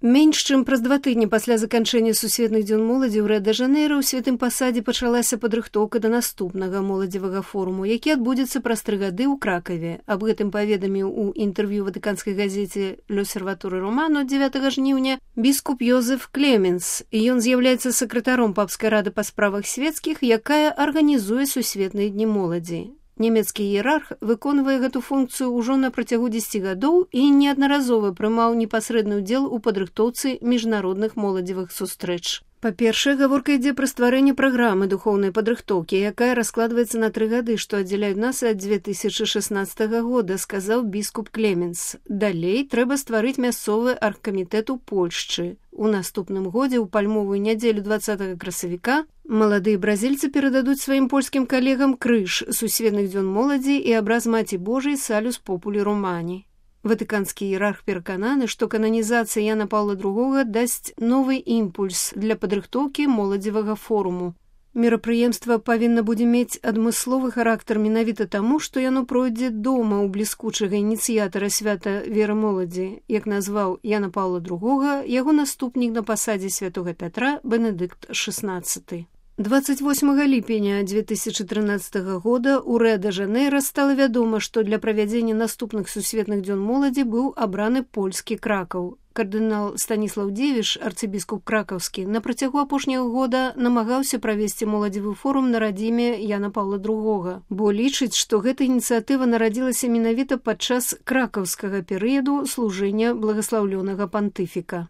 Менш чым праз 2 тыдні пасля заканчэння сусветных дзён моладзі ў Рыа-дэ-Жанэйра ў святым пасадзе пачалася падрыхтоўка да наступнага моладзевага форуму, які адбудзецца праз 3 гады ў Кракаве. Аб гэтым паведаміў у інтэрв'ю ватыканскай газеце «L'Osservatore Romano» 9 жніўня біскуп Йозеф Клеменс. Ён з'яўляецца сакратаром папскай рады па справах свецкіх, якая арганізуе сусветныя дні моладзі. Нямецкі іерарх выконвае гэту функцыю ўжо на працягу 10 гадоў і неаднаразова прымаў непасрэдны ўдзел у падрыхтоўцы міжнародных моладзевых сустрэч. Па-першае, гаворка ідзе пра стварэнне праграмы духоўнай падрыхтоўкі, якая раскладваецца на 3 гады, што аддзяляюць нас ад 2016 года, сказаў біскуп Клеменс. Далей трэба стварыць мясцовы аргкамітэт у Польшчы. У наступным годзе, у пальмовую нядзелю 20 красавіка, маладыя бразільцы перададуць сваім польскім калегам крыж сусветных дзён моладзі і абраз Маці Божай Салюс Популі Романі. Ватыканскі іерарх перакананы, што кананізацыя Яна Паўла II дасць новы імпульс для падрыхтоўкі моладзевага форуму. Мерапрыемства павінна будзе мець адмысловы характар менавіта таму, што яно пройдзе дома ў бліскучага ініцыятара свята веры моладзі, як назваў Яна Паўла II яго наступнік на пасадзе святога Пятра Бенедыкт XVI. 28 ліпеня 2013 года ў Рыа-дэ-Жанэйра стала вядома, што для правядзення наступных сусветных дзён моладзі быў абраны польскі Кракаў. Кардынал Станіслаў Дзевіш, арцыбіскуп кракаўскі, на працягу апошняга года намагаўся правесці моладзевы форум на радзіме Яна Паўла II, бо лічыць, што гэта ініцыятыва нарадзілася менавіта падчас кракаўскага перыяду служэння благаслаўлёнага пантыфіка.